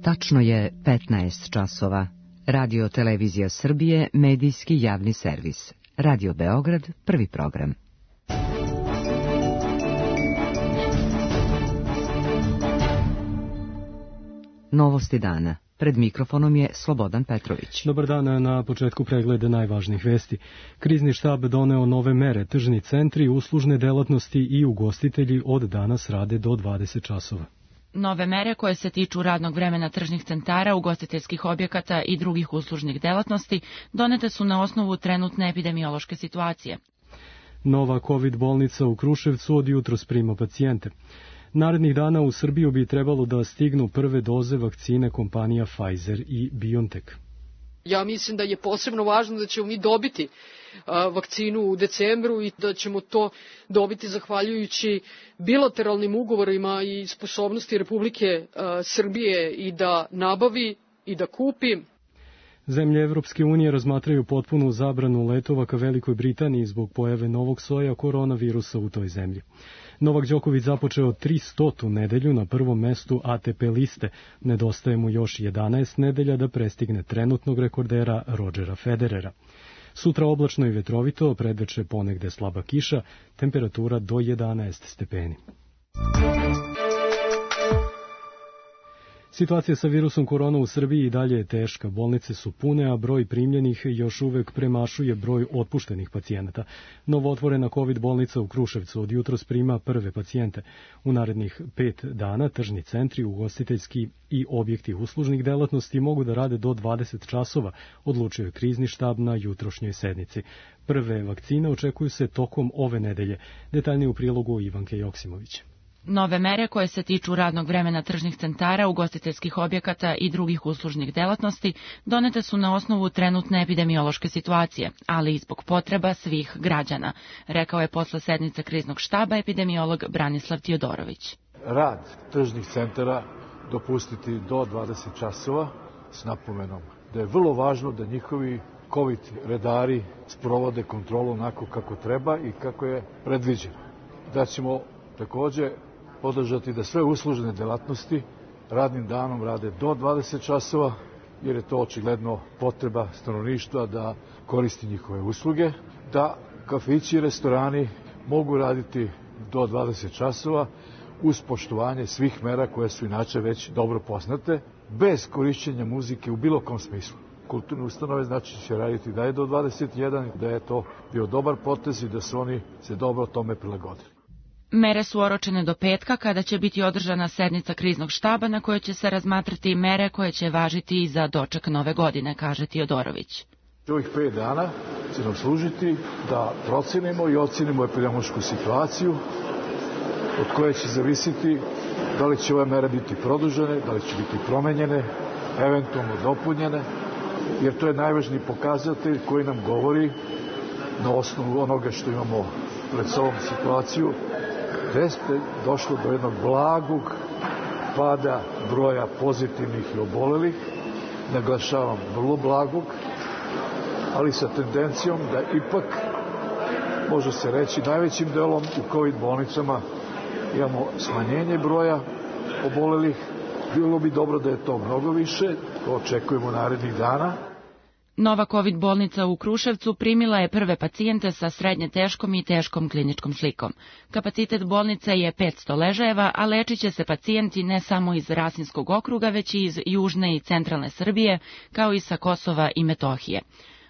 Tačno je 15 časova. Radio Televizija Srbije, medijski javni servis. Radio Beograd, prvi program. Novosti dana. Pred mikrofonom je Slobodan Petrović. Dobar dan, na početku pregleda najvažnijih vesti. Krizni štab doneo nove mere. Tržni centri, uslužne delatnosti i ugostitelji od danas rade do 20 časova. Nove mere koje se tiču radnog vremena tržnih centara, ugostiteljskih objekata i drugih uslužnih delatnosti donete su na osnovu trenutne epidemiološke situacije. Nova COVID bolnica u Kruševcu od jutros prima pacijente. Narednih dana u Srbiju bi trebalo da stignu prve doze vakcine kompanija Pfizer i BioNTech. Ja mislim da je posebno važno da ćemo mi dobiti vakcinu u decembru i da ćemo to dobiti zahvaljujući bilateralnim ugovorima i sposobnosti Republike Srbije i da nabavi i da kupi. Zemlje Evropske unije razmatraju potpunu zabranu letova ka Velikoj Britaniji zbog pojave novog soja koronavirusa u toj zemlji. Novak Đoković započeo 300. nedelju na prvom mestu ATP liste. Nedostaje mu još 11 nedelja da prestigne trenutnog rekordera Rodgera Federera. Sutra oblačno i vetrovito, predveče ponegde slaba kiša, temperatura do 11 stepeni. Situacija sa virusom korona u Srbiji i dalje je teška. Bolnice su pune, a broj primljenih još uvek premašuje broj otpuštenih pacijenata. Novootvorena COVID bolnica u Kruševcu od jutros prima prve pacijente. U narednih 5 dana tržni centri, ugostiteljski i objekti uslužnih delatnosti mogu da rade do 20 časova, odlučio je krizni štab na jutrošnjoj sednici. Prve vakcine očekuju se tokom ove nedelje. Detaljnije u prilogu Ivanke Joksimović. Nove mere koje se tiču radnog vremena tržnih centara, ugostiteljskih objekata i drugih uslužnih delatnosti donete su na osnovu trenutne epidemiološke situacije, ali i zbog potreba svih građana, rekao je posle sednice kriznog štaba epidemiolog Branislav Tijodorović. Rad tržnih centara dopustiti do 20 časova s napomenom da je vrlo važno da njihovi COVID redari sprovode kontrolu onako kako treba i kako je predviđeno. Da ćemo takođe podržati da sve uslužne delatnosti radnim danom rade do 20 časova, jer je to očigledno potreba stanovništva da koristi njihove usluge, da kafići i restorani mogu raditi do 20 časova uz poštovanje svih mera koje su inače već dobro poznate, bez korišćenja muzike u bilo kom smislu. Kulturne ustanove znači će raditi da je do 21, da je to bio dobar potez i da su oni se dobro tome prilagodili. Mere su oročene do petka, kada će biti održana sednica kriznog štaba na kojoj će se razmatrati mere koje će važiti i za doček nove godine, kaže Tijodorović. Ovih 5 dana će nam služiti da procenimo i ocenimo epidemiološku situaciju, od koje će zavisiti da li će ove mere biti produžene, da li će biti promenjene, eventualno dopunjene, jer to je najvažniji pokazatelj koji nam govori na osnovu onoga što imamo pred sobom situaciju, da je došlo do jednog blagog pada broja pozitivnih i obolelih, naglašavam vrlo blagog, ali sa tendencijom da ipak, može se reći, najvećim delom u COVID bolnicama imamo smanjenje broja obolelih. Bilo bi dobro da je to mnogo više, to očekujemo narednih dana. Nova COVID bolnica u Kruševcu primila je prve pacijente sa srednje teškom i teškom kliničkom slikom. Kapacitet bolnice je 500 ležajeva, a lečit će se pacijenti ne samo iz Rasinskog okruga, već i iz južne i centralne Srbije, kao i sa Kosova i Metohije.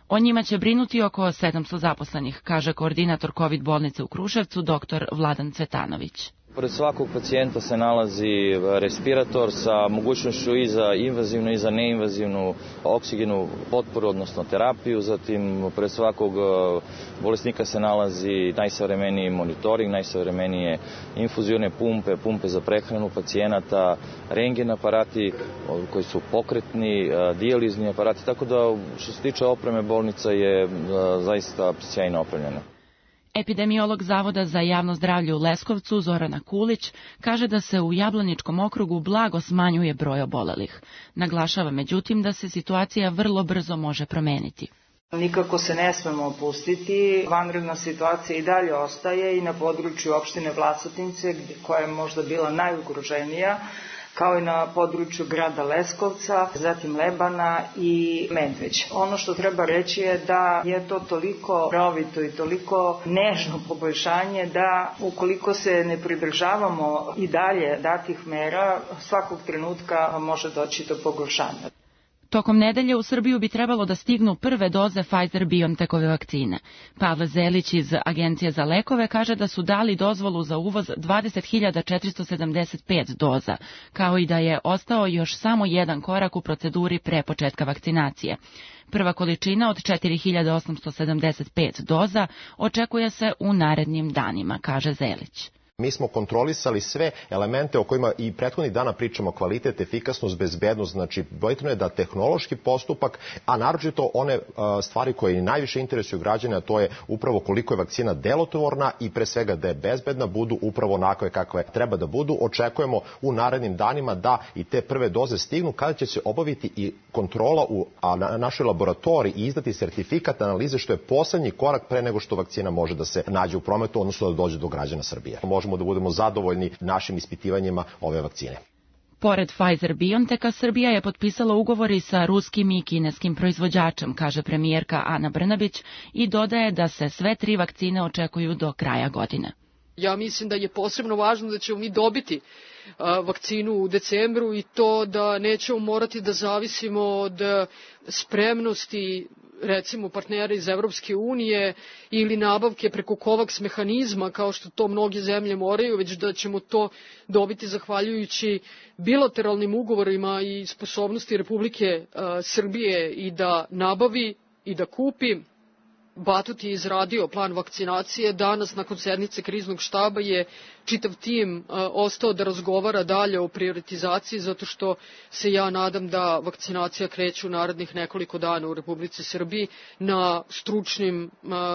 O njima će brinuti oko 700 zaposlenih, kaže koordinator COVID bolnice u Kruševcu, dr. Vladan Cvetanović. Pored svakog pacijenta se nalazi respirator sa mogućnošću i za invazivnu i za neinvazivnu oksigenu potporu, odnosno terapiju. Zatim, pored svakog bolesnika se nalazi najsavremeniji monitoring, najsavremenije infuzione pumpe, pumpe za prehranu pacijenata, rentgen aparati koji su pokretni, dijalizni aparati, tako da što se tiče opreme bolnica je zaista sjajno opremljena. Epidemiolog Zavoda za javno zdravlje u Leskovcu, Zorana Kulić, kaže da se u Jablaničkom okrugu blago smanjuje broj obolelih. Naglašava međutim da se situacija vrlo brzo može promeniti. Nikako se ne smemo opustiti, vanredna situacija i dalje ostaje i na području opštine Vlasotince, koja je možda bila najugroženija. kao i na području grada Leskovca, zatim Lebana i Medveđa. Ono što treba reći je da je to toliko rovito i toliko nežno poboljšanje da ukoliko se ne pridržavamo i dalje datih mera, svakog trenutka može doći do pogoršanja. Tokom nedelje u Srbiju bi trebalo da stignu prve doze Pfizer-BioNTechove vakcine. Pavle Zelić iz Agencije za lekove kaže da su dali dozvolu za uvoz 20.475 doza, kao i da je ostao još samo jedan korak u proceduri pre početka vakcinacije. Prva količina od 4.875 doza očekuje se u narednim danima, kaže Zelić. Mi smo kontrolisali sve elemente o kojima i prethodnih dana pričamo, kvalitet, efikasnost, bezbednost, znači bitno je da tehnološki postupak, a naročito one stvari koje najviše interesuju građane, a to je upravo koliko je vakcina delotvorna i pre svega da je bezbedna, budu upravo onakve kakve treba da budu. Očekujemo u narednim danima da i te prve doze stignu, kada će se obaviti i kontrola u našoj laboratoriji i izdati sertifikat analize, što je poslednji korak pre nego što vakcina može da se nađe u prometu, odnosno da dođe do građana Srbije. Možemo da budemo zadovoljni našim ispitivanjima ove vakcine. Pored Pfizer-BioNTecha, Srbija je potpisala ugovori sa ruskim i kineskim proizvođačem, kaže premijerka Ana Brnabić i dodaje da se sve 3 vakcine očekuju do kraja godine. Ja mislim da je posebno važno da ćemo mi dobiti vakcinu u decembru i to da nećemo morati da zavisimo od spremnosti recimo partnera iz Evropske unije ili nabavke preko COVAX mehanizma kao što to mnoge zemlje moraju, već da ćemo to dobiti zahvaljujući bilateralnim ugovorima i sposobnosti Republike Srbije i da nabavi i da kupi. Batut je izradio plan vakcinacije. Danas, nakon sednice kriznog štaba, je čitav tim ostao da razgovara dalje o prioritizaciji, zato što se ja nadam da vakcinacija kreće u narednih nekoliko dana u Republici Srbiji. Na stručnim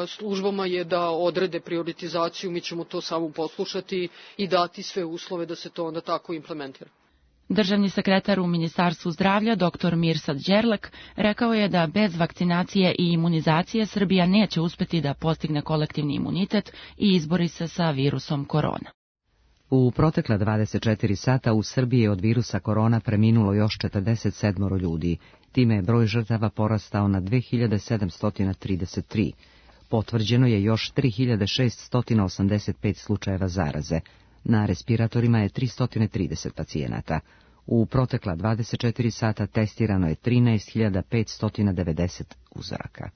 službama je da odrede prioritizaciju, mi ćemo to samo poslušati i dati sve uslove da se to onda tako implementira. Državni sekretar u Ministarstvu zdravlja, dr. Mirsad Đerlek, rekao je da bez vakcinacije i imunizacije Srbija neće uspeti da postigne kolektivni imunitet i izbori se sa virusom korona. U protekla 24 sata u Srbiji je od virusa korona preminulo još 47 ljudi. Time je broj žrtava porastao na 2733. Potvrđeno je još 3685 slučajeva zaraze. Na respiratorima je 330 pacijenata. U protekla 24 sata testirano je 13.590 uzoraka.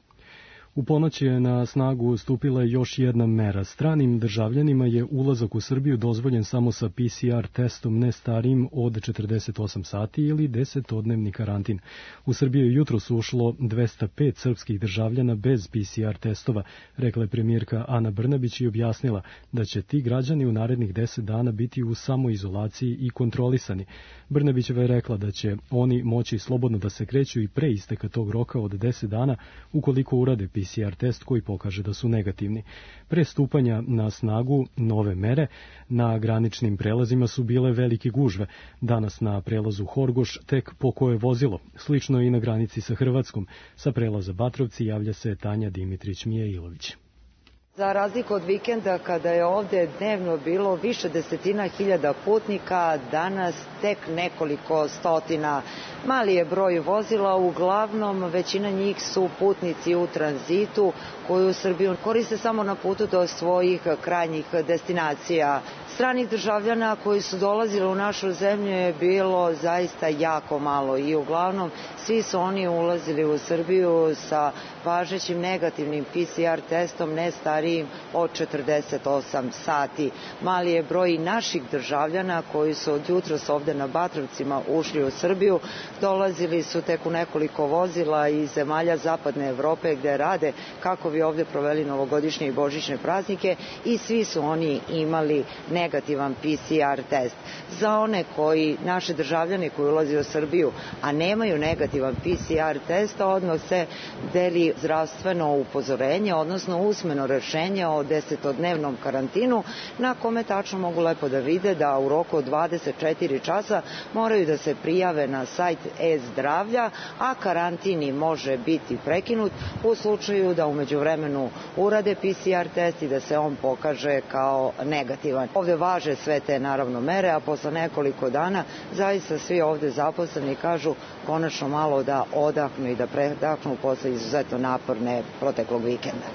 U ponoć je na snagu stupila još jedna mera. Stranim državljanima je ulazak u Srbiju dozvoljen samo sa PCR testom ne starijim od 48 sati ili 10-dnevni karantin. U Srbiju jutros ušlo 205 srpskih državljana bez PCR testova, rekla je premijerka Ana Brnabić i objasnila da će ti građani u narednih 10 dana biti u samoizolaciji i kontrolisani. Brnabićeva je rekla da će oni moći slobodno da se kreću i pre isteka tog roka od 10 dana ukoliko urade PCR test koji pokaže da su negativni. Pre stupanja na snagu nove mere, na graničnim prelazima su bile velike gužve. Danas na prelazu Horgoš tek pokoje vozilo. Slično i na granici sa Hrvatskom. Sa prelaza Batrovci javlja se Tanja Dimitrić-Mijailović. Za razliku od vikenda kada je ovde dnevno bilo više desetina hiljada putnika, danas tek nekoliko stotina. Mali je broj vozila, uglavnom većina njih su putnici u tranzitu koju Srbiju koriste samo na putu do svojih krajnjih destinacija. Stranih državljana koji su dolazili u našu zemlju je bilo zaista jako malo i uglavnom svi su oni ulazili u Srbiju sa važećim negativnim PCR testom ne starijim od 48 sati. Mali je broj naših državljana koji su od jutros ovde na Batrovcima ušli u Srbiju, dolazili su tek u nekoliko vozila iz zemalja zapadne Evrope gde rade kako bi ovde proveli novogodišnje i božićne praznike i svi su oni imali negativan PCR test. Za one naše državljane koji ulaze u Srbiju, a nemaju negativan PCR test, odmah se deli zdravstveno upozorenje, odnosno usmeno rešenje o 10-dnevnom karantinu, na kome tačno mogu lepo da vide da u roku od 24 časa moraju da se prijave na sajt e-zdravlja, a karantini može biti prekinut u slučaju da umeđu vremenu urade PCR test i da se on pokaže kao negativan. Ovde važe sve te naravno mere, a posle nekoliko dana zaista svi ovde zaposleni kažu konačno malo da odahnu i da predahnu posle izuzetno naporne proteklog vikenda.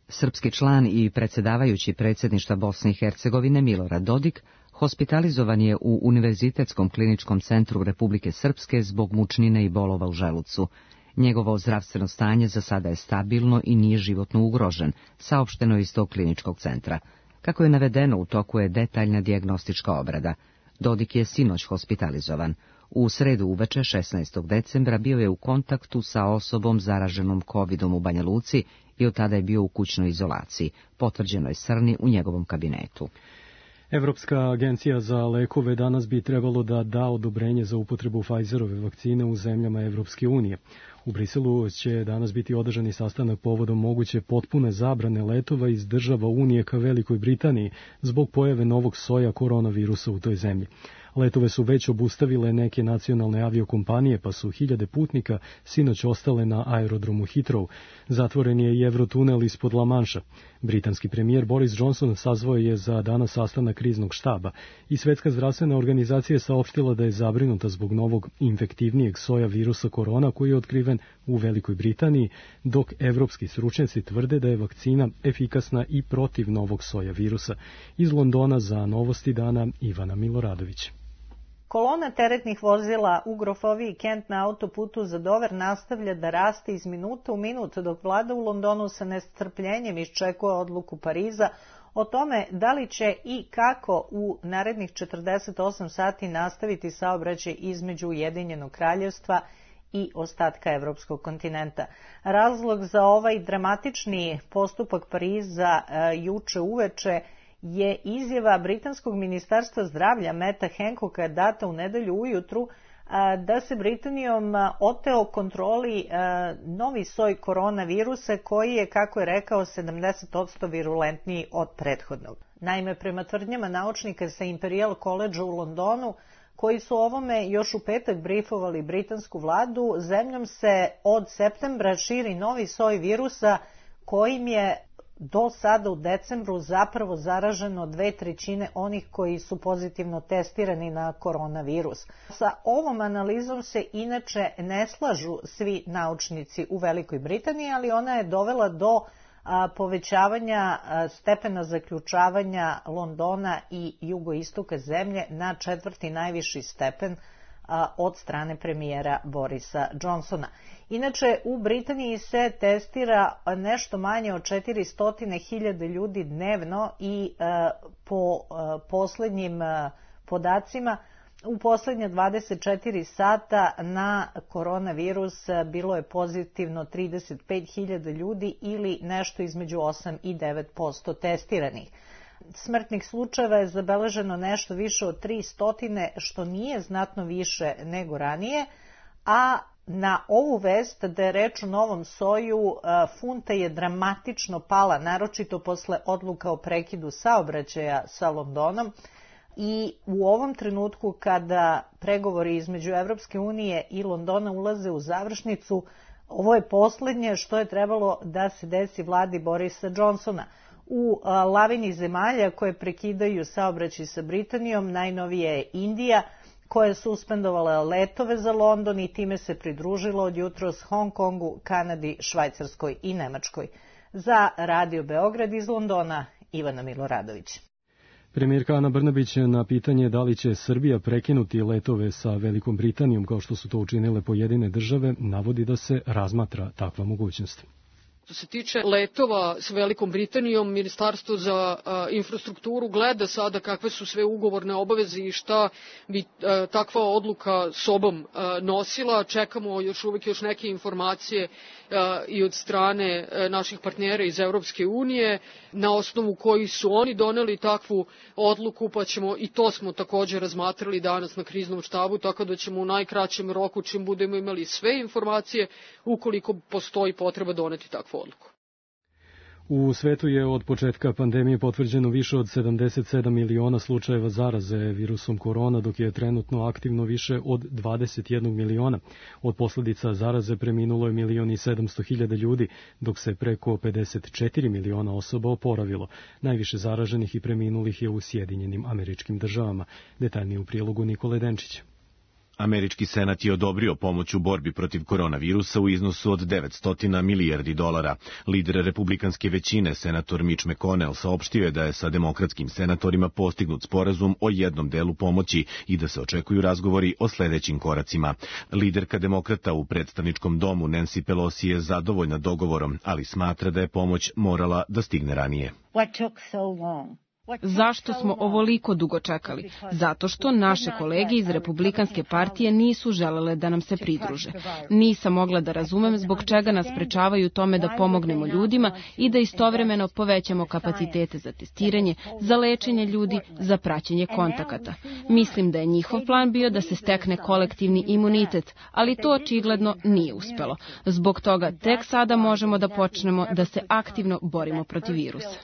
Srpski član i predsjedavajući predsjedništva Bosne i Hercegovine Milorad Dodik hospitalizovan je u Univerzitetskom kliničkom centru Republike Srpske zbog mučnine i bolova u želucu. Njegovo zdravstveno stanje za sada je stabilno i nije životno ugrožen, saopšteno je iz tog kliničkog centra. Kako je navedeno, u toku je detaljna dijagnostička obrada. Dodik je sinoć hospitalizovan. U sredu uveče 16. decembra bio je u kontaktu sa osobom zaraženom COVID-om u Banja Luci i od tada je bio u kućnoj izolaciji. Potvrđeno je Srni u njegovom kabinetu. Evropska agencija za lekove danas bi trebalo da da odobrenje za upotrebu Pfizerove vakcine u zemljama Evropske unije. U Briselu će danas biti održani sastanak povodom moguće potpune zabrane letova iz država Unije ka Velikoj Britaniji zbog pojave novog soja koronavirusa u toj zemlji. Letove su već obustavile neke nacionalne aviokompanije, pa su hiljade putnika sinoć ostale na aerodromu Heathrow. Zatvoren je i Eurotunel ispod La Manša. Britanski premijer Boris Johnson sazvao je za danas sastanak kriznog štaba i Svetska zdravstvena organizacija je saopštila da je zabrinuta zbog novog infektivnijeg soja virusa korona koji je otkriven u Velikoj Britaniji, dok evropski stručnjaci tvrde da je vakcina efikasna i protiv novog soja virusa. Iz Londona za Novosti dana Ivana Miloradović. Kolona teretnih vozila u Grofoviji Kent na autoputu za Dover nastavlja da raste iz minuta u minut, dok vlada u Londonu sa nestrpljenjem iščekuje odluku Pariza o tome da li će i kako u narednih 48 sati nastaviti saobraćaj između Ujedinjenog kraljevstva i ostatka evropskog kontinenta. Razlog za ovaj dramatični postupak Pariza juče uveče je izjava britanskog ministarstva zdravlja Meta Hancocka data u nedelju ujutru da se Britanijom oteo kontroli novi soj koronavirusa koji je, kako je rekao, 70% virulentniji od prethodnog. Naime, prema tvrdnjama naučnika sa Imperial College u Londonu, koji su ovome još u petak brifovali britansku vladu, zemljom se od septembra širi novi soj virusa kojim je do sada u decembru zapravo zaraženo 2/3 onih koji su pozitivno testirani na koronavirus. Sa ovom analizom se inače ne slažu svi naučnici u Velikoj Britaniji, ali ona je dovela do povećavanja stepena zaključavanja Londona i jugoistoka zemlje na 4. najviši stepen od strane premijera Borisa Johnsona. Inače, u Britaniji se testira nešto manje od 400.000 ljudi dnevno i po poslednjim podacima u poslednje 24 sata na koronavirus bilo je pozitivno 35.000 ljudi ili nešto između 8 i 9% testiranih. Smrtnih slučajeva je zabeleženo nešto više od 300, što nije znatno više nego ranije, a na ovu vest da je reč o novom soju, funta je dramatično pala, naročito posle odluka o prekidu saobraćaja sa Londonom, i u ovom trenutku kada pregovori između Evropske unije i Londona ulaze u završnicu, ovo je poslednje što je trebalo da se desi vladi Borisa Johnsona. U lavini zemalja koje prekidaju saobraćaj sa Britanijom najnovije je Indija, koja je suspendovala letove za London i time se pridružila od jutros Hong Kongu, Kanadi, Švajcarskoj i Nemačkoj. Za Radio Beograd iz Londona, Ivana Miloradović. Premijerka Ana Brnabić na pitanje da li će Srbija prekinuti letove sa Velikom Britanijom kao što su to učinile pojedine države, navodi da se razmatra takva mogućnost. Što se tiče letova s Velikom Britanijom, Ministarstvo za infrastrukturu gleda sada kakve su sve ugovorne obaveze i šta bi takva odluka sobom nosila. Čekamo još neke informacije i od strane naših partnera iz Evropske unije, na osnovu kojih su oni doneli takvu odluku, pa ćemo, i to smo također razmatrali danas na kriznom štabu, tako da ćemo u najkraćem roku, čim budemo imali sve informacije, ukoliko postoji potreba, doneti takvu odluku. U svetu je od početka pandemije potvrđeno više od 77 miliona slučajeva zaraze virusom korona, dok je trenutno aktivno više od 21 miliona. Od posljedica zaraze preminulo je 1.700.000 ljudi, dok se preko 54 miliona osoba oporavilo. Najviše zaraženih i preminulih je u Sjedinjenim Američkim Državama. Detaljnije u prilogu Nikole Denčića. Američki senat je odobrio pomoć u borbi protiv koronavirusa u iznosu od $900 milijardi. Lider republikanske većine, senator Mitch McConnell, saopštio je da je sa demokratskim senatorima postignut sporazum o jednom delu pomoći i da se očekuju razgovori o sledećim koracima. Liderka demokrata u predstavničkom domu Nancy Pelosi je zadovoljna dogovorom, ali smatra da je pomoć morala da stigne ranije. Zašto smo ovoliko dugo čekali? Zato što naše kolege iz Republikanske partije nisu želele da nam se pridruže. Nisam mogla da razumem zbog čega nas sprečavaju tome da pomognemo ljudima i da istovremeno povećamo kapacitete za testiranje, za lečenje ljudi, za praćenje kontakata. Mislim da je njihov plan bio da se stekne kolektivni imunitet, ali to očigledno nije uspelo. Zbog toga tek sada možemo da počnemo da se aktivno borimo protiv virusa.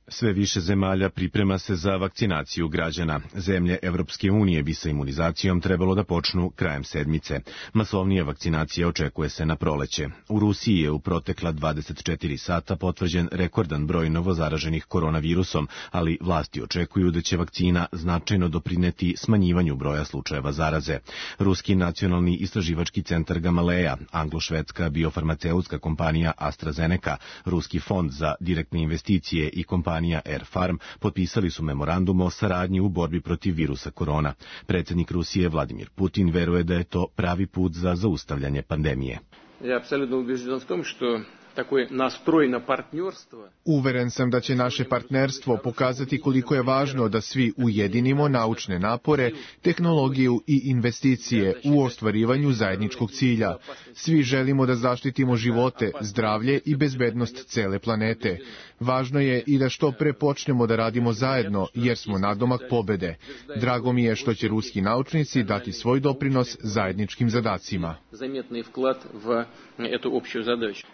Sve više zemalja priprema se za vakcinaciju građana. Zemlje Evropske unije bi sa imunizacijom trebalo da počnu krajem sedmice. Masovnija vakcinacija očekuje se na proleće. U Rusiji je u protekla 24 sata potvrđen rekordan broj novozaraženih koronavirusom, ali vlasti očekuju da će vakcina značajno doprineti smanjivanju broja slučajeva zaraze. Ruski nacionalni istraživački centar Gamaleja, anglo-švedska biofarmaceutska kompanija AstraZeneca, Ruski fond za direktne investicije i kompanija Air Farm potpisali su memorandum o saradnji u borbi protiv virusa korona. Predsjednik Rusije Vladimir Putin veruje da je to pravi put za zaustavljanje pandemije. Ja apsolutno ubeđen v tom, što такой настрой на партнерство. Uveren sam da će naše partnerstvo pokazati koliko je važno da svi ujedinimo naučne napore, tehnologiju i investicije u ostvarivanju zajedničkog cilja. Svi želimo da zaštitimo živote, zdravlje i bezbednost cele planete. Važno je i da što pre počnemo da radimo zajedno, jer smo nadomak pobede. Drago mi je što će ruski naučnici dati svoj doprinos zajedničkim zadacima. Заметный вклад в эту общую задачу.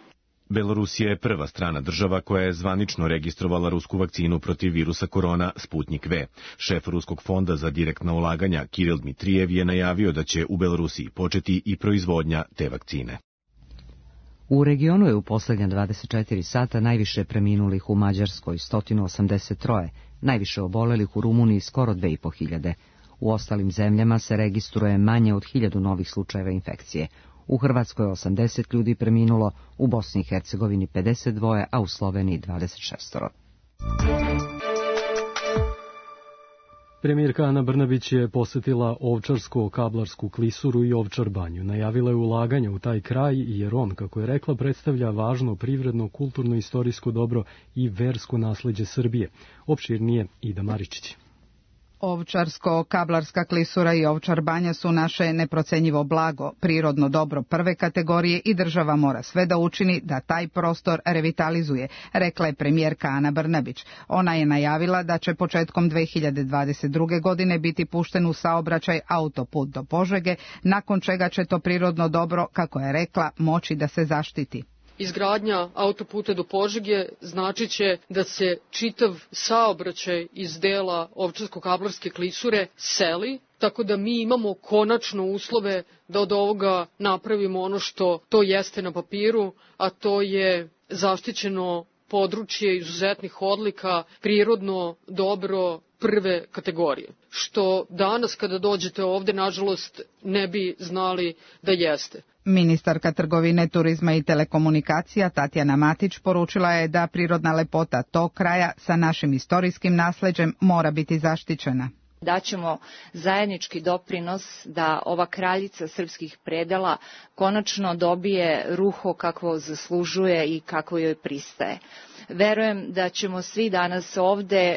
Belorusija je prva strana država koja je zvanično registrovala rusku vakcinu protiv virusa korona Sputnik V. Šef Ruskog fonda za direktna ulaganja Kiril Dmitrijev je najavio da će u Belorusiji početi i proizvodnja te vakcine. U regionu je u posljednja 24 sata najviše preminulih u Mađarskoj 183, najviše obolelih u Rumuniji skoro 2500. U ostalim zemljama se registruje manje od 1000 novih slučajeva infekcije. U Hrvatskoj 80 ljudi preminulo, u Bosni i Hercegovini 52, a u Sloveniji 26. Premijerka Ana Brnabić je posjetila Ovčarsko-Kablarsku klisuru i Ovčar banju. Najavila je ulaganje u taj kraj jer on, kako je rekla, predstavlja važno privredno, kulturno, istorijsko dobro i versko nasleđe Srbije. Opširnije Ida Maričić. Ovčarsko-Kablarska klisura i Ovčar banja su naše neprocenjivo blago, prirodno dobro prve kategorije i država mora sve da učini da taj prostor revitalizuje, rekla je premijerka Ana Brnabić. Ona je najavila da će početkom 2022. godine biti pušten u saobraćaj autoput do Požege, nakon čega će to prirodno dobro, kako je rekla, moći da se zaštiti. Izgradnja autoputa do Požege značit će da se čitav saobraćaj iz dela Ovčarsko-Kablarske klisure seli, tako da mi imamo konačno uslove da od ovoga napravimo ono što to jeste na papiru, a to je zaštićeno područje izuzetnih odlika, prirodno dobro prve kategorije, što danas kada dođete ovde, nažalost, ne bi znali da jeste. Ministarka trgovine, turizma i telekomunikacija Tatjana Matić poručila je da prirodna lepota tog kraja sa našim istorijskim nasleđem mora biti zaštićena. Daćemo zajednički doprinos da ova kraljica srpskih predela konačno dobije ruho kakvo zaslužuje i kako joj pristaje. Verujem da ćemo svi danas ovde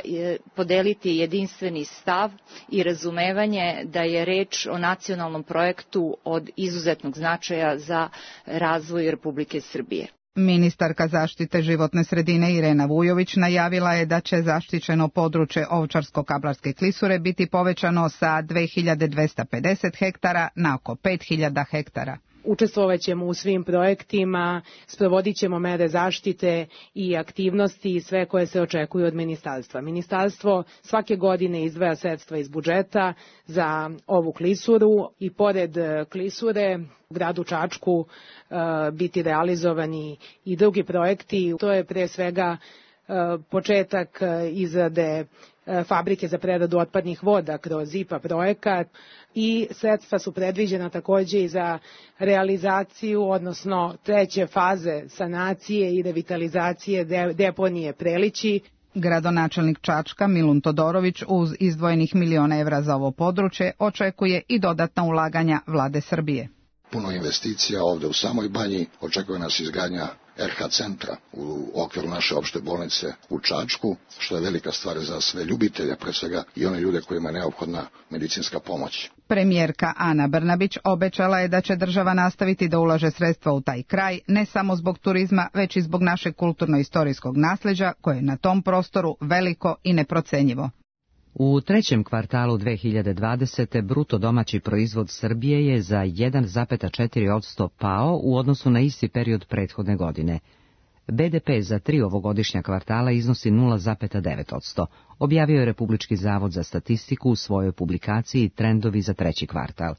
podeliti jedinstveni stav i razumevanje da je reč o nacionalnom projektu od izuzetnog značaja za razvoj Republike Srbije. Ministarka zaštite životne sredine Irena Vujović najavila je da će zaštićeno područje Ovčarsko-Kablarske klisure biti povećano sa 2250 hektara na oko 5000 hektara. Učestvovaćemo u svim projektima, sprovodit ćemo mere zaštite i aktivnosti i sve koje se očekuju od ministarstva. Ministarstvo svake godine izdvaja sredstva iz budžeta za ovu klisuru i pored klisure u gradu Čačku biti realizovani i drugi projekti. To je pre svega početak izrade fabrike za preradu otpadnih voda kroz IPA projekat i sredstva su predviđena takođe i za realizaciju, odnosno treće faze sanacije i revitalizacije deponije Prelići. Gradonačelnik Čačka Milun Todorović uz izdvojenih €1.000.000 za ovo područje očekuje i dodatna ulaganja vlade Srbije. Puno investicija ovde u samoj Banji, očekuje nas izgradnja RH centra u okviru naše opšte bolnice u Čačku, što je velika stvar za sve ljubitelje, pre svega i one ljude kojima je neophodna medicinska pomoć. Premijerka Ana Brnabić obećala je da će država nastaviti da ulaže sredstva u taj kraj, ne samo zbog turizma, već i zbog našeg kulturno-istorijskog nasleđa, koje je na tom prostoru veliko i neprocenjivo. U trećem kvartalu 2020. bruto domaći proizvod Srbije je za 1,4% pao u odnosu na isti period prethodne godine. BDP za 3 ovogodišnja kvartala iznosi 0,9%, objavio je Republički zavod za statistiku u svojoj publikaciji Trendovi za treći kvartal.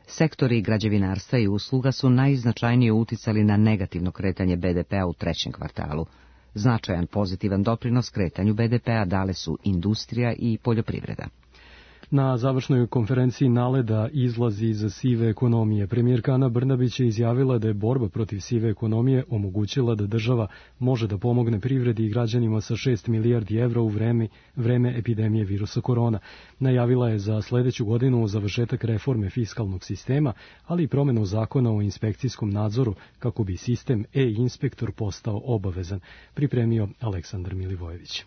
Sektori građevinarstva i usluga su najznačajnije uticali na negativno kretanje BDP-a u trećem kvartalu. Značajan pozitivan doprinos kretanju BDP-a dale su industrija i poljoprivreda. Na završnoj konferenciji NALED-a izlazi iz sive ekonomije. Premijerka Ana Brnabić je izjavila da je borba protiv sive ekonomije omogućila da država može da pomogne privredi i građanima sa 6 milijardi evra u vreme epidemije virusa korona. Najavila je za sledeću godinu završetak reforme fiskalnog sistema, ali i promenu zakona o inspekcijskom nadzoru kako bi sistem e-inspektor postao obavezan, pripremio Aleksandar Milivojević.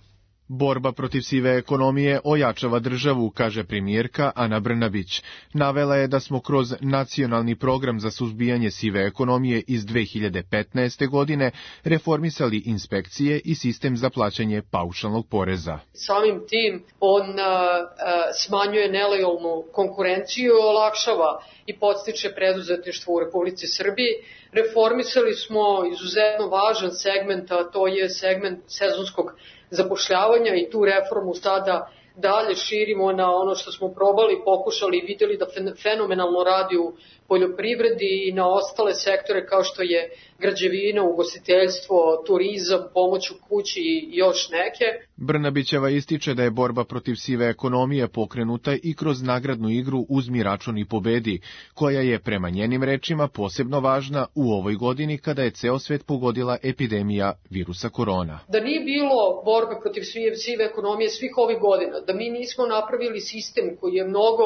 Borba protiv sive ekonomije ojačava državu, kaže premijerka Ana Brnabić. Navela je da smo kroz nacionalni program za suzbijanje sive ekonomije iz 2015. godine reformisali inspekcije i sistem za plaćanje paušalnog poreza. Samim tim on smanjuje nelojalnu konkurenciju, olakšava i podstiče preduzetništvo u Republici Srbiji. Reformisali smo izuzetno važan segment, a to je segment sezonskog zapošljavanja i tu reformu sada dalje širimo na ono što smo probali, pokušali i vidjeli da fenomenalno radi u poljoprivredi i na ostale sektore kao što je građevina, ugostiteljstvo, turizam, pomoć u kući i još neke. Brnabićeva ističe da je borba protiv sive ekonomije pokrenuta i kroz nagradnu igru Uzmi račun i pobedi, koja je prema njenim rečima posebno važna u ovoj godini kada je ceo svet pogodila epidemija virusa korona. Da nije bilo borbe protiv sive ekonomije svih ovih godina, da mi nismo napravili sistem koji je mnogo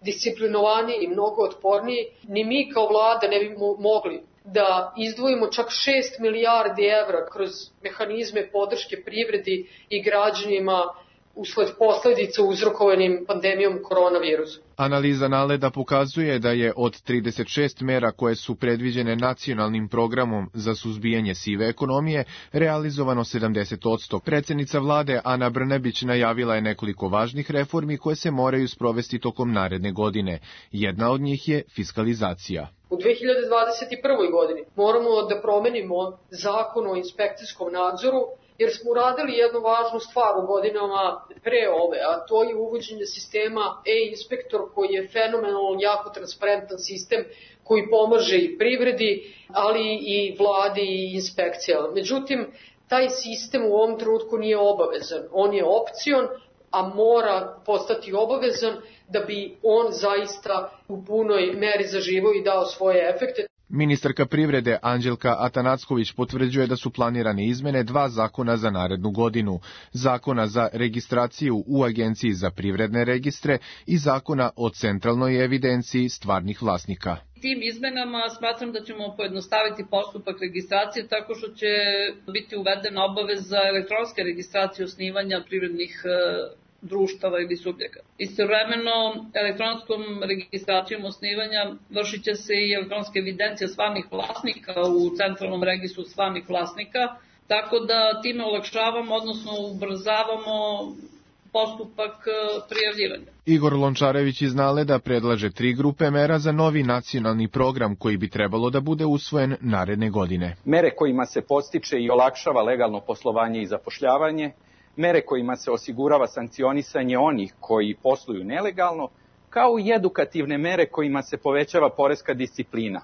disciplinovaniji i mnogo otporniji, ni mi kao vlada ne bi mogli da izdvojimo čak 6 milijardi evra kroz mehanizme podrške privredi i građanima usled posledica uzrokovanim pandemijom koronavirusa. Analiza NALED-a pokazuje da je od 36 mera koje su predviđene nacionalnim programom za suzbijanje sive ekonomije realizovano 70%. Predsednica vlade Ana Brnabić najavila je nekoliko važnih reformi koje se moraju sprovesti tokom naredne godine. Jedna od njih je fiskalizacija. U 2021. godini moramo da promenimo zakon o inspekcijskom nadzoru, jer smo uradili jednu važnu stvar u godinama pre ove, a to je uvođenje sistema e-inspektor koji je fenomenalno jako transparentan sistem koji pomaže i privredi, ali i vladi i inspekcijama. Međutim, taj sistem u ovom trenutku nije obavezan. On je opcion, a mora postati obavezan da bi on zaista u punoj meri zaživao i dao svoje efekte. Ministarka privrede Anđelka Atanacković potvrđuje da su planirane izmene 2 zakona za narednu godinu. Zakona za registraciju u Agenciji za privredne registre i zakona o centralnoj evidenciji stvarnih vlasnika. Tim izmenama smatram da ćemo pojednostaviti postupak registracije tako što će biti uvedena obaveza za elektronske registracije osnivanja privrednih društava ili subjekata. Istovremeno, elektronskom registracijom osnivanja vršit će se i elektronska evidencija stvarnih vlasnika u centralnom registru stvarnih vlasnika, tako da time olakšavamo, odnosno ubrzavamo postupak prijavljivanja. Igor Lončarević iz Naleda predlaže 3 grupe mera za novi nacionalni program koji bi trebalo da bude usvojen naredne godine. Mere kojima se podstiče i olakšava legalno poslovanje i zapošljavanje, mere kojima se osigurava sankcionisanje onih koji posluju nelegalno, kao i edukativne mere kojima se povećava poreska disciplina,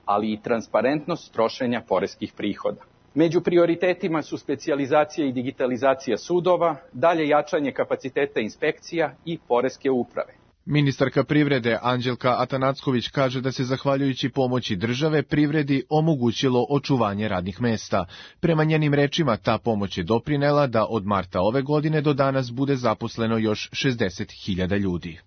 ali i transparentnost trošenja poreskih prihoda. Među prioritetima su specijalizacija i digitalizacija sudova, dalje jačanje kapaciteta inspekcija i poreske uprave. Ministarka privrede Anđelka Atanacković kaže da se zahvaljujući pomoći države privredi omogućilo očuvanje radnih mesta. Prema njenim rečima ta pomoć je doprinela da od marta ove godine do danas bude zaposleno još 60.000 ljudi.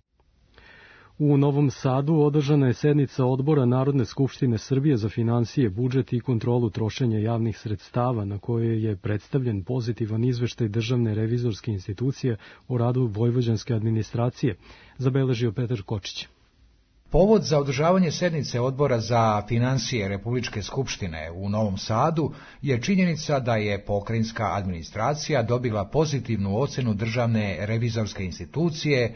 U Novom Sadu održana je sednica Odbora Narodne skupštine Srbije za finansije, budžet i kontrolu trošenja javnih sredstava, na kojoj je predstavljen pozitivan izveštaj Državne revizorske institucije o radu vojvođanske administracije, zabeležio Petar Kočić. Povod za održavanje sednice Odbora za finansije Republičke skupštine u Novom Sadu je činjenica da je pokrajinska administracija dobila pozitivnu ocenu Državne revizorske institucije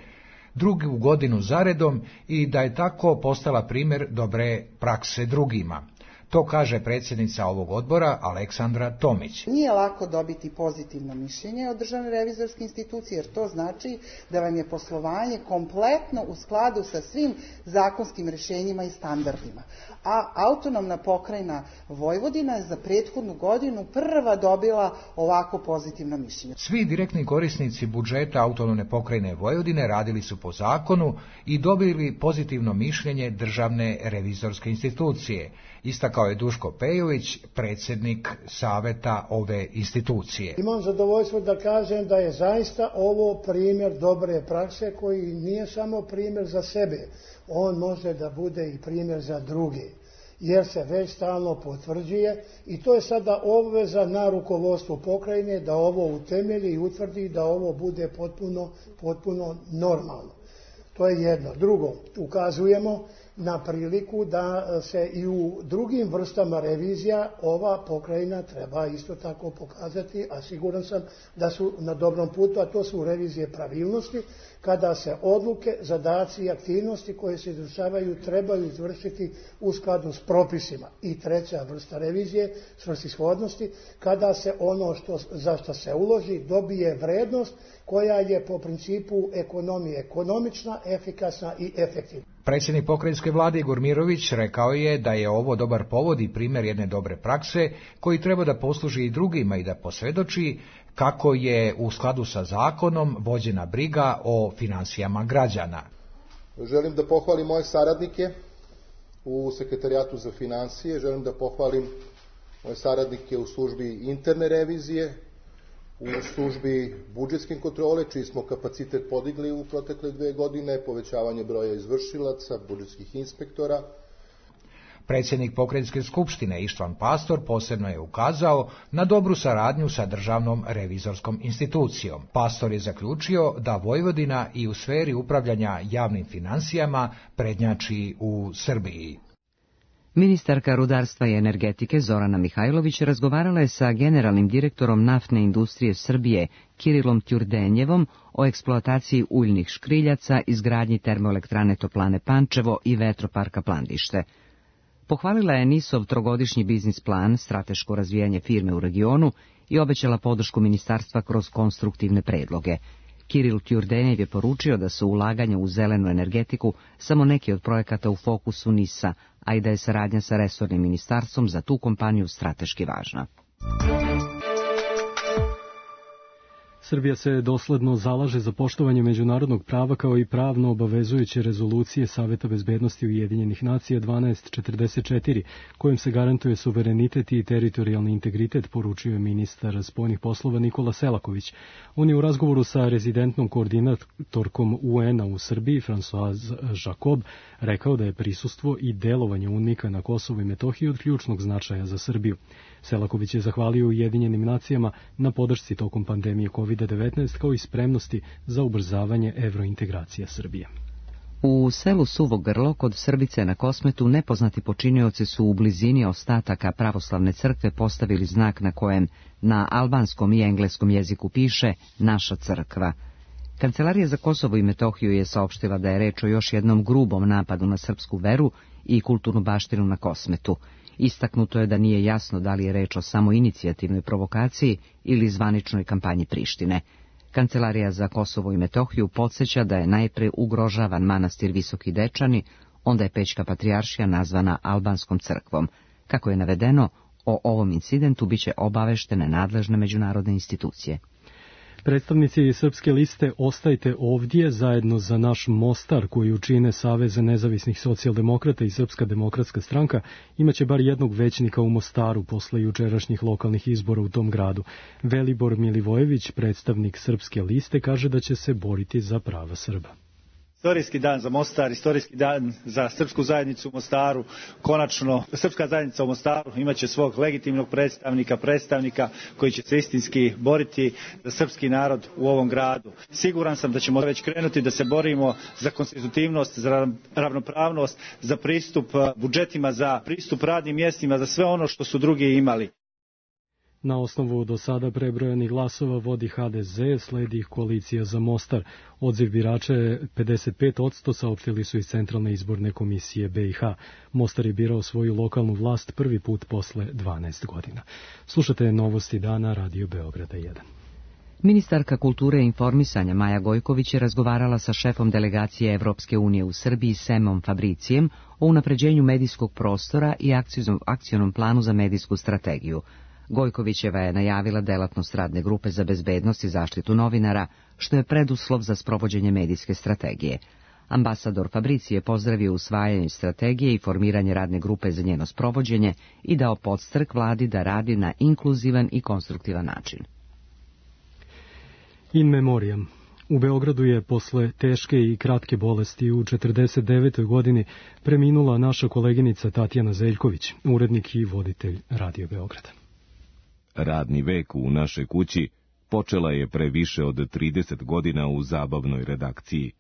drugu godinu zaredom i da je tako postala primjer dobre prakse drugima. To kaže predsjednica ovog odbora Aleksandra Tomić. Nije lako dobiti pozitivno mišljenje od Državne revizorske institucije, jer to znači da vam je poslovanje kompletno u skladu sa svim zakonskim rješenjima i standardima. A autonomna pokrajina Vojvodina je za prethodnu godinu prva dobila ovako pozitivno mišljenje. Svi direktni korisnici budžeta autonomne pokrajine Vojvodine radili su po zakonu i dobili pozitivno mišljenje Državne revizorske institucije. Istakao je Duško Pejović, predsjednik saveta ove institucije. Imam zadovoljstvo da kažem da je zaista ovo primjer dobre prakse koji nije samo primjer za sebe, on može da bude i primjer za druge, jer se već stalno potvrđuje i to je sada obveza na rukovodstvu pokrajine da ovo utemelji i utvrdi da ovo bude potpuno normalno. To je jedno. Drugo, ukazujemo na priliku da se i u drugim vrstama revizija ova pokrajina treba isto tako pokazati, a siguran sam da su na dobrom putu, a to su revizije pravilnosti, kada se odluke, zadaci i aktivnosti koje se izvršavaju trebaju izvršiti u skladu s propisima. I treća vrsta revizije, svrsishodnosti, kada se ono za što se uloži dobije vrednost koja je po principu ekonomije ekonomična, efikasna i efektivna. Predsjednik pokrajinske vlade Igor Mirović rekao je da je ovo dobar povod i primjer jedne dobre prakse koji treba da posluži i drugima i da posvjedoči kako je u skladu sa zakonom vođena briga o finansijama građana. Želim da pohvalim moje saradnike u Sekretarijatu za finansije, želim da pohvalim moje saradnike u službi interne revizije, u službi budžetske kontrole, čiji smo kapacitet podigli u protekle 2 godine, povećavanje broja izvršilaca, budžetskih inspektora. Predsjednik pokrajinske skupštine Ištvan Pastor posebno je ukazao na dobru saradnju sa Državnom revizorskom institucijom. Pastor je zaključio da Vojvodina i u sferi upravljanja javnim financijama prednjači u Srbiji. Ministarka rudarstva i energetike Zorana Mihajlović razgovarala je sa generalnim direktorom naftne industrije Srbije Kirilom Ćurdenjevom o eksploataciji uljnih škriljaca, izgradnji termoelektrane Toplane Pančevo i vetroparka Plandište. Pohvalila je NIS-ov trogodišnji biznis plan, strateško razvijanje firme u regionu i obećala podršku ministarstva kroz konstruktivne predloge. Kiril Ćurdenjev je poručio da su ulaganja u zelenu energetiku samo neki od projekata u fokusu NIS-a, a i da je saradnja sa resornim ministarstvom za tu kompaniju strateški važna. Srbija se dosledno zalaže za poštovanje međunarodnog prava kao i pravno obavezujuće rezolucije Saveta bezbednosti Ujedinjenih nacija 1244, kojim se garantuje suverenitet i teritorijalni integritet, poručio je ministar spoljnih poslova Nikola Selaković. On je u razgovoru sa rezidentnom koordinatorkom UN-a u Srbiji, Françoise Jacob, rekao da je prisustvo i delovanje UNMIK-a na Kosovu i Metohiji od ključnog značaja za Srbiju. Selaković je zahvalio Ujedinjenim nacijama na podršci tokom pandemije COVID-19 kao i spremnosti za ubrzavanje evrointegracija Srbije. U selu Suvo Grlo kod Srbice na Kosmetu nepoznati počinioci su u blizini ostataka pravoslavne crkve postavili znak na kojem na albanskom i engleskom jeziku piše Naša crkva. Kancelarija za Kosovo i Metohiju je saopštila da je reč o još jednom grubom napadu na srpsku veru i kulturnu baštinu na Kosmetu. Istaknuto je da nije jasno da li je reč o samoinicijativnoj provokaciji ili zvaničnoj kampanji Prištine. Kancelarija za Kosovo i Metohiju podsjeća da je najpre ugrožavan manastir Visoki Dečani, onda je Pećka patrijaršija nazvana albanskom crkvom. Kako je navedeno, o ovom incidentu biće obaveštene nadležne međunarodne institucije. Predstavnici Srpske liste Ostajte ovdje zajedno za naš Mostar, koji učine Savez nezavisnih socijaldemokrata i Srpska demokratska stranka, imaće bar jednog većnika u Mostaru posle jučerašnjih lokalnih izbora u tom gradu. Velibor Milivojević, predstavnik Srpske liste, kaže da će se boriti za prava Srba. Istorijski dan za Mostar, istorijski dan za srpsku zajednicu u Mostaru. Konačno, srpska zajednica u Mostaru imaće svog legitimnog predstavnika koji će se istinski boriti za srpski narod u ovom gradu. Siguran sam da ćemo već krenuti da se borimo za konstitutivnost, za ravnopravnost, za pristup budžetima, za pristup radnim mjestima, za sve ono što su drugi imali. Na osnovu do sada prebrojanih glasova vodi HDZ, sledi koalicija za Mostar. Odziv birača je 55%, saopštili su iz Centralne izborne komisije BiH. Mostar je birao svoju lokalnu vlast prvi put posle 12 godina. Slušate novosti dana Radio Beograda 1. Ministarka kulture i informisanja Maja Gojković je razgovarala sa šefom delegacije Evropske unije u Srbiji Semom Fabricijem o unapređenju medijskog prostora i akcionom planu za medijsku strategiju. Gojkovićeva je najavila delatnost radne grupe za bezbednost i zaštitu novinara, što je preduslov za sprovođenje medijske strategije. Ambasador Fabrici je pozdravio usvajanje strategije i formiranje radne grupe za njeno sprovođenje i dao podstrek vladi da radi na inkluzivan i konstruktivan način. In memoriam. U Beogradu je posle teške i kratke bolesti u 49. godini preminula naša koleginica Tatjana Zeljković, urednik i voditelj Radio Beograda. Radni vek u našoj kući počela je pre više od 30 godina u zabavnoj redakciji.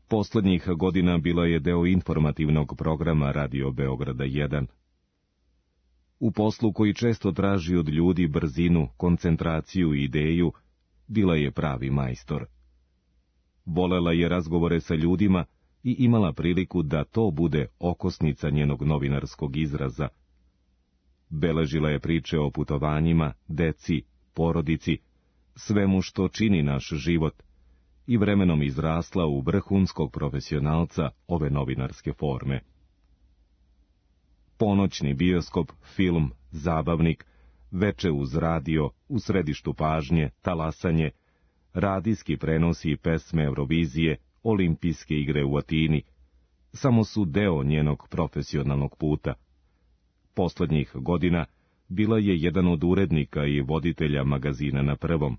Poslednjih godina bila je deo informativnog programa Radio Beograda 1. U poslu koji često traži od ljudi brzinu, koncentraciju i ideju, bila je pravi majstor. Volela je razgovore sa ljudima i imala priliku da to bude okosnica njenog novinarskog izraza. Beležila je priče o putovanjima, deci, porodici, svemu što čini naš život i vremenom izrasla u vrhunskog profesionalca ove novinarske forme. Ponoćni bioskop, film, zabavnik, veče uz radio, u središtu pažnje, talasanje, radijski prenosi pesme Eurovizije, olimpijske igre u Atini, samo su deo njenog profesionalnog puta. Poslednjih godina bila je jedan od urednika i voditelja magazina Na prvom.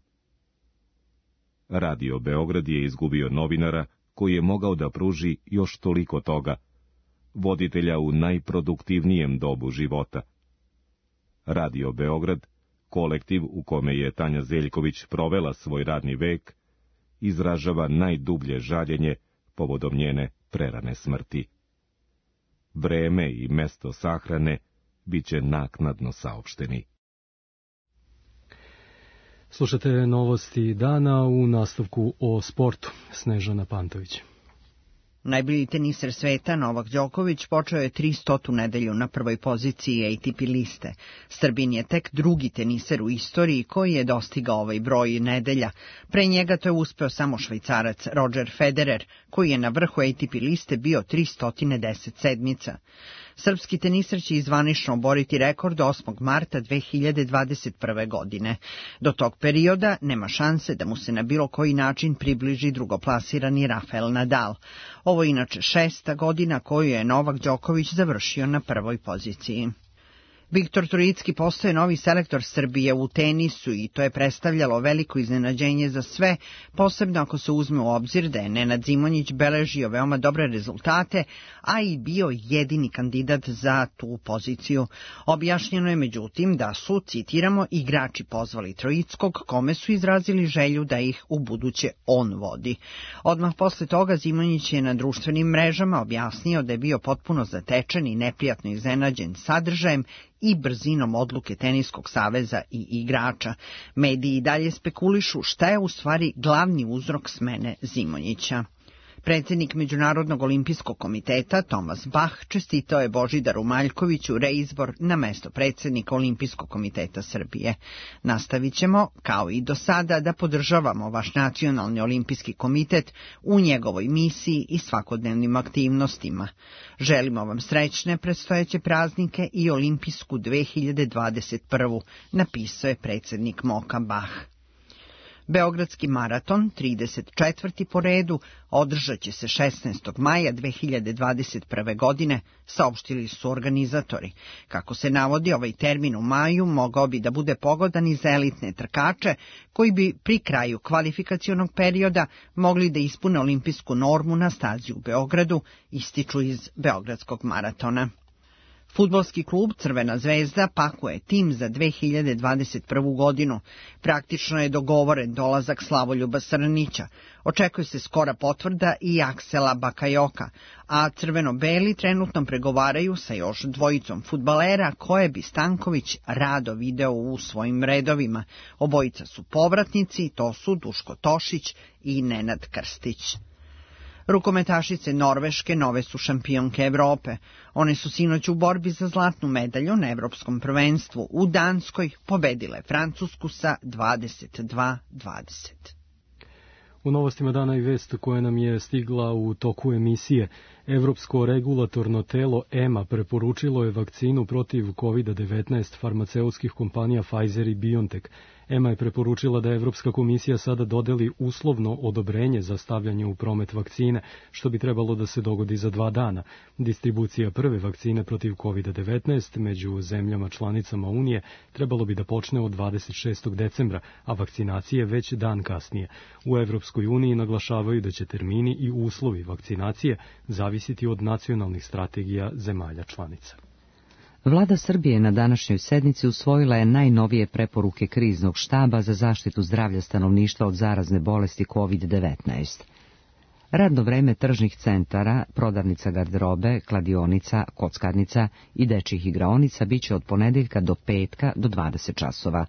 Radio Beograd je izgubio novinara koji je mogao da pruži još toliko toga, voditelja u najproduktivnijem dobu života. Radio Beograd, kolektiv u kome je Tanja Zeljković provela svoj radni vek, izražava najdublje žaljenje povodom njene prerane smrti. Vreme i mesto sahrane biće naknadno saopšteni. Slušate novosti dana, u nastavku o sportu. Snežana Pantović. Najbolji teniser sveta Novak Đoković počeo je 300. nedelju na prvoj poziciji ATP liste. Srbin je tek drugi teniser u istoriji koji je dostigao ovaj broj nedelja. Pre njega to je uspeo samo Švajcarac Roger Federer, koji je na vrhu ATP liste bio 310 sedmica. Srpski teniser će zvanično oboriti rekord 8. marta 2021. godine. Do tog perioda nema šanse da mu se na bilo koji način približi drugoplasirani Rafael Nadal. Ovo je inače 6. godina koju je Novak Đoković završio na prvoj poziciji. Viktor Trojicki postaje novi selektor Srbije u tenisu i to je predstavljalo veliko iznenađenje za sve, posebno ako se uzme u obzir da je Nenad Zimonjić beležio veoma dobre rezultate, a i bio jedini kandidat za tu poziciju. Objašnjeno je međutim da su, citiramo, igrači pozvali Trojickog, kome su izrazili želju da ih u buduće on vodi. Odmah posle toga Zimonjić je na društvenim mrežama objasnio da je bio potpuno zatečen i neprijatno iznenađen sadržajem i brzinom odluke Teniskog saveza i igrača. Mediji i dalje spekulišu šta je u stvari glavni uzrok smene Zimonjića. Predsjednik Međunarodnog olimpijskog komiteta Thomas Bach čestitao je Božidaru Maljkoviću reizbor na mesto predsjednika Olimpijskog komiteta Srbije. Nastavit ćemo, kao i do sada, da podržavamo vaš nacionalni olimpijski komitet u njegovoj misiji i svakodnevnim aktivnostima. Želimo vam srećne predstojeće praznike i olimpijsku 2021. napisao je predsjednik MOKA Bach. Beogradski maraton, 34. po redu, održat će se 16. maja 2021. godine, saopštili su organizatori. Kako se navodi, ovaj termin u maju mogao bi da bude pogodan i za elitne trkače, koji bi pri kraju kvalifikacionog perioda mogli da ispune olimpijsku normu na stazi u Beogradu, ističu iz Beogradskog maratona. Fudbalski klub Crvena zvezda pakuje tim za 2021. godinu. Praktično je dogovoren dolazak Slavoljuba Srnića. Očekuje se skora potvrda i Aksela Bakajoka, a crveno-beli trenutno pregovaraju sa još dvojicom fudbalera koje bi Stanković rado video u svojim redovima. Obojica su povratnici, to su Duško Tošić i Nenad Krstić. Rukometašice Norveške nove su šampionke Evrope. One su sinoć u borbi za zlatnu medalju na Evropskom prvenstvu u Danskoj pobedile Francusku sa 22-20. U novostima dana i vest koja nam je stigla u toku emisije. Evropsko regulatorno telo EMA preporučilo je vakcinu protiv COVID-19 farmaceutskih kompanija Pfizer i BioNTech. EMA je preporučila da Evropska komisija sada dodeli uslovno odobrenje za stavljanje u promet vakcine, što bi trebalo da se dogodi za 2 dana. Distribucija prve vakcine protiv COVID-19 među zemljama članicama Unije trebalo bi da počne od 26. decembra, a vakcinacije već dan kasnije. U Evropskoj uniji naglašavaju da će termini i uslovi vakcinacije zavisiti od nacionalnih strategija zemalja članica. Vlada Srbije na današnjoj sednici usvojila je najnovije preporuke kriznog štaba za zaštitu zdravlja stanovništva od zarazne bolesti COVID-19. Radno vreme tržnih centara, prodavnica garderobe, kladionica, kockarnica i dečjih igraonica biće od ponedeljka do petka do 20 časova.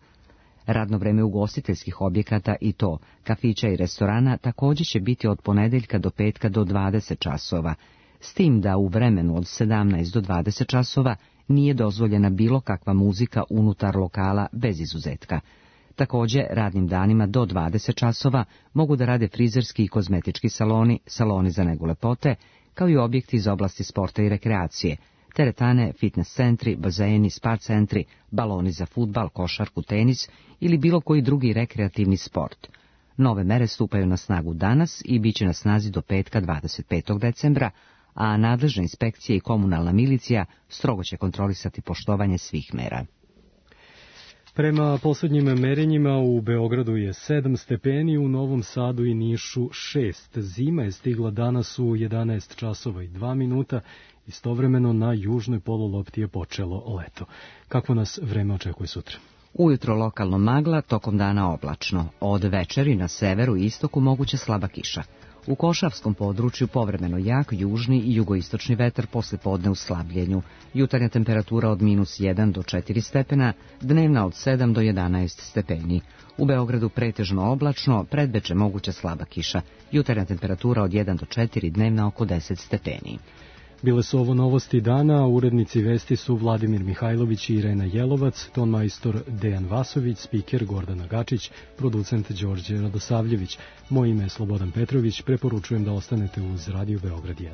Radno vreme ugostiteljskih objekata i to, kafića i restorana, također će biti od ponedeljka do petka do 20 časova, s tim da u vremenu od 17 do 20 časova nije dozvoljena bilo kakva muzika unutar lokala bez izuzetka. Također, radnim danima do 20 časova mogu da rade frizerski i kozmetički saloni, saloni za negu lepote, kao i objekti iz oblasti sporta i rekreacije, teretane, fitness centri, bazeni, spa centri, baloni za fudbal, košarku, tenis ili bilo koji drugi rekreativni sport. Nove mere stupaju na snagu danas i bit će na snazi do petka 25. decembra, a nadležna inspekcija i komunalna milicija strogo će kontrolisati poštovanje svih mera. Prema posljednjim merenjima u Beogradu je 7 stepeni, u Novom Sadu i Nišu 6. Zima je stigla danas u 11 časova i 2 minuta, istovremeno na južnoj polulopti je počelo leto. Kako nas vreme očekuje sutra? Ujutro lokalno magla, tokom dana oblačno. Od večeri na severu i istoku moguća slaba kiša. U Košavskom području povremeno jak južni i jugoistočni vetar posle podne u slabljenju. Jutarnja temperatura od -1 do 4 stepena, dnevna od 7 do 11 stepeni. U Beogradu pretežno oblačno, predveče moguća slaba kiša. Jutarnja temperatura od 1 do 4, dnevna oko 10 stepeni. Bile su ovo novosti dana, urednici vesti su Vladimir Mihajlović i Irena Jelovac, tonmajstor Dejan Vasović, spiker Gordana Gačić, producent Đorđe Radosavljević. Moje ime je Slobodan Petrović, preporučujem da ostanete uz Radio Beograd 1.